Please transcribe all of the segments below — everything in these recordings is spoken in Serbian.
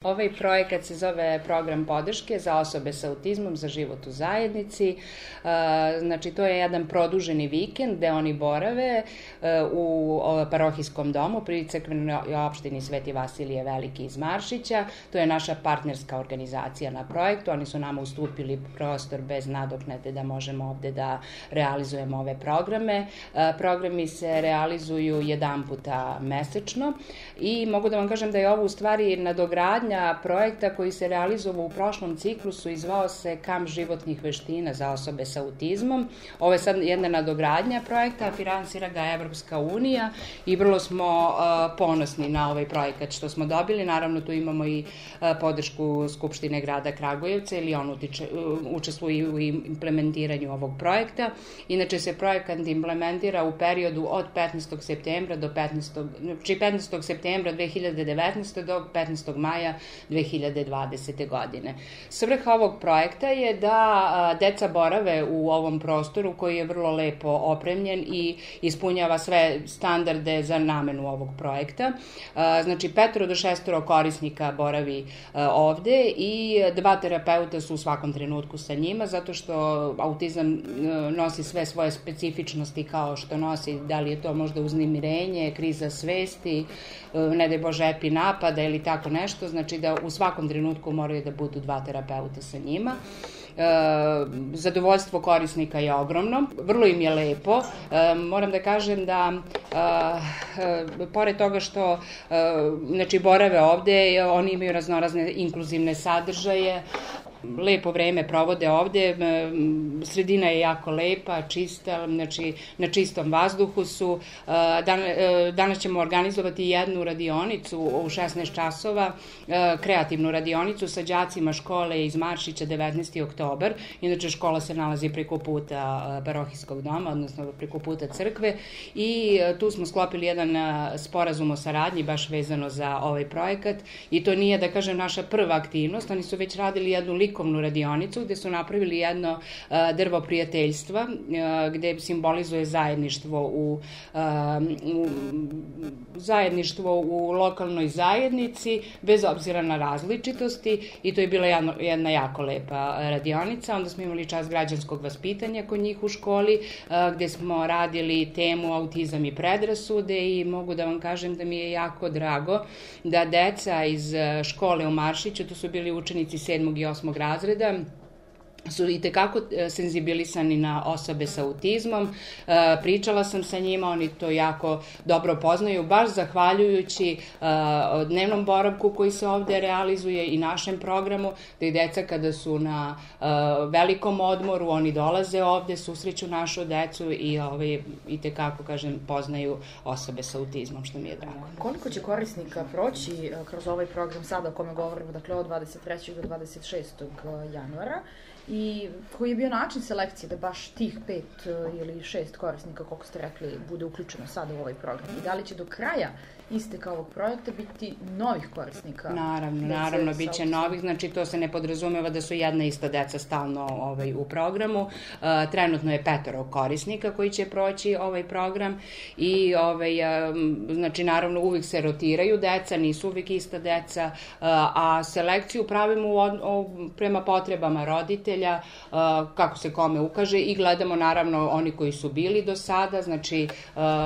Ovaj projekat se zove Program podrške za osobe sa autizmom za život u zajednici. Znači, to je jedan produženi vikend gde oni borave u parohijskom domu pri crkvenoj opštini Sveti Vasilije Veliki iz Maršića. To je naša partnerska organizacija na projektu. Oni su nama ustupili prostor bez nadoknade da možemo ovde da realizujemo ove programe. Programi se realizuju jedan puta mesečno i mogu da vam kažem da je ovo u stvari nadogradnja projekta koji se realizovao u prošlom ciklusu i zvao se Kamp životnih veština za osobe sa autizmom. Ovo je sad jedna nadogradnja projekta, finansira ga Evropska unija i vrlo smo ponosni na ovaj projekat što smo dobili. Naravno, tu imamo i podršku Skupštine grada Kragujevca, ili on učestvuje u implementiranju ovog projekta. Inače se projekat implementira u periodu od 15. septembra do 15. septembra 2019. do 15. maja 2020. godine. Svrha ovog projekta je da deca borave u ovom prostoru koji je vrlo lepo opremljen i ispunjava sve standarde za namenu ovog projekta. Znači, 5 do 6 korisnika boravi ovde i 2 terapeuta su u svakom trenutku sa njima, zato što autizam nosi sve svoje specifičnosti kao što nosi, da li je to možda uznemirenje, kriza svesti, ne daj Bože epi napada ili tako nešto, znači da u svakom trenutku moraju da budu 2 terapeuta sa njima. Zadovoljstvo korisnika je ogromno, vrlo im je lepo. Moram da kažem da pored toga što znači borave ovde, oni imaju raznorazne inkluzivne sadržaje, lepo vreme provode ovde, sredina je jako lepa, čista, znači na čistom vazduhu su. Danas ćemo organizovati jednu radionicu u 16 časova, kreativnu radionicu sa đacima škole iz Maršića 19. oktobar. Inače, škola se nalazi preko puta parohijskog doma, odnosno preko puta crkve, i tu smo sklopili jedan sporazum o saradnji baš vezano za ovaj projekat, i to nije, da kažem, naša prva aktivnost. Oni su već radili jednu likovnu radionicu gde su napravili jedno drvo prijateljstva gde simbolizuje zajedništvo u lokalnoj zajednici bez obzira na različitosti, i to je bila jedna jako lepa radionica. Onda smo imali čas građanskog vaspitanja kod njih u školi gde smo radili temu autizam i predrasude, i mogu da vam kažem da mi je jako drago da deca iz škole u Maršiću, to su bili učenici 7. i 8. razreda, su i tekako senzibilisani na osobe sa autizmom. Pričala sam sa njima, oni to jako dobro poznaju, baš zahvaljujući dnevnom boravku koji se ovde realizuje i našem programu, da i deca kada su na velikom odmoru, oni dolaze ovde, susreću našu decu i tekako, kažem, poznaju osobe sa autizmom, što mi je drago. Koliko će korisnika proći kroz ovaj program sada o kome govorimo, dakle od 23. do 26. januara, i koji je bio način selekcije da baš tih 5 ili 6 korisnika, koliko ste rekli, bude uključeno sada u ovaj program? I da li će do kraja isteka ovog projekta biti novih korisnika? Naravno, bit će novih, znači to se ne podrazumeva da su jedna ista deca stalno u programu. Trenutno je 5 korisnika koji će proći ovaj program i znači naravno uvijek se rotiraju deca, nisu uvijek ista deca, a selekciju pravimo prema potrebama roditelja, kako se kome ukaže, i gledamo naravno oni koji su bili do sada. Znači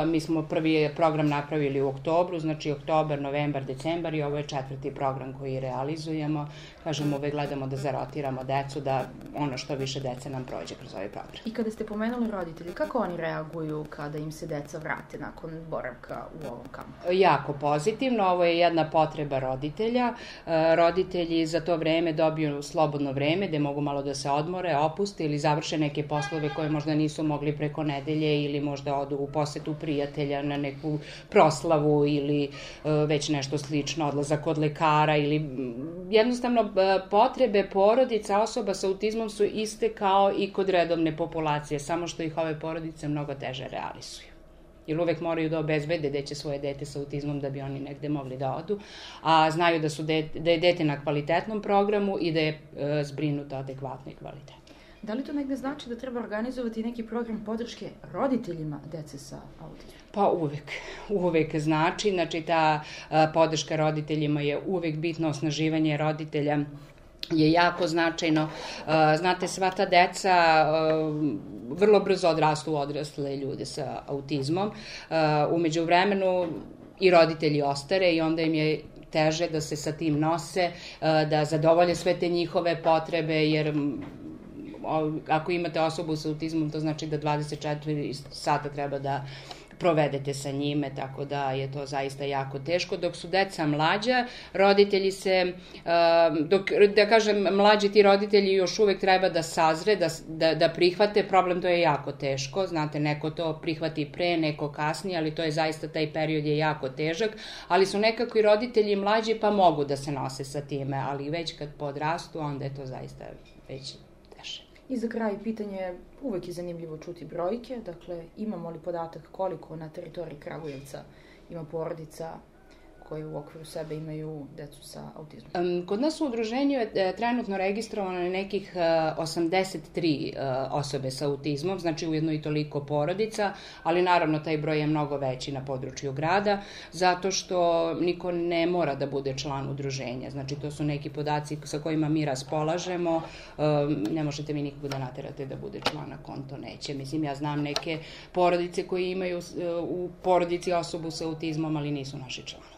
mi smo prvi program napravili u oktobru, znači oktobar, novembar, decembar, i ovo je 4. program koji realizujemo. Kažemo, uvek gledamo da zarotiramo decu, da ono što više dece nam prođe kroz ovaj program. I kada ste pomenuli roditelji, kako oni reaguju kada im se deca vrate nakon boravka u ovom kampu? Jako pozitivno, ovo je jedna potreba roditelja. Roditelji za to vreme dobiju slobodno vreme gde mogu malo da se odmore, opuste ili završe neke poslove koje možda nisu mogli preko nedelje, ili možda odu u posetu prijatelja na neku proslavu ili već nešto slično, odlazak kod lekara, ili jednostavno potrebe porodica osoba sa autizmom su iste kao i kod redovne populacije, samo što ih ove porodice mnogo teže realizuju. Jer uvek moraju da obezbede da će svoje dete sa autizmom da bi oni negde mogli da odu, a znaju da je dete na kvalitetnom programu i da je zbrinuto adekvatno i kvalitetno. Da li to negde znači da treba organizovati neki program podrške roditeljima dece sa autizmom? Pa uvek znači ta podrška roditeljima je uvek bitno, osnaživanje roditelja je jako značajno. Znate, sva ta deca vrlo brzo odrastu u odrasle ljude sa autizmom. U međuvremenu i roditelji ostare i onda im je teže da se sa tim nose, da zadovolje sve te njihove potrebe, jer ako imate osobu sa autizmom, to znači da 24 sata treba da provedete sa njime, tako da je to zaista jako teško. Dok su deca mlađa, roditelji se, da kažem, mlađi ti roditelji još uvek treba da sazre, da prihvate, problem to je jako teško, znate, neko to prihvati pre, neko kasnije, ali to je zaista, taj period je jako težak, ali su nekako i roditelji mlađi pa mogu da se nose sa time, ali već kad podrastu, onda je to zaista već teže. I za kraj pitanje, uvek je zanimljivo čuti brojke, dakle imamo li podatak koliko na teritoriji Kragujevca ima porodica koje u okviru sebe imaju decu sa autizmom? Kod nas u udruženju je trenutno registrovano nekih 83 osobe sa autizmom, znači ujedno i toliko porodica, ali naravno taj broj je mnogo veći na području grada, zato što niko ne mora da bude član udruženja, znači to su neki podaci sa kojima mi raspolažemo, ne možete mi nikog da naterate da bude član na konto, neće. Mislim, ja znam neke porodice koji imaju u porodici osobu sa autizmom, ali nisu naši članovi.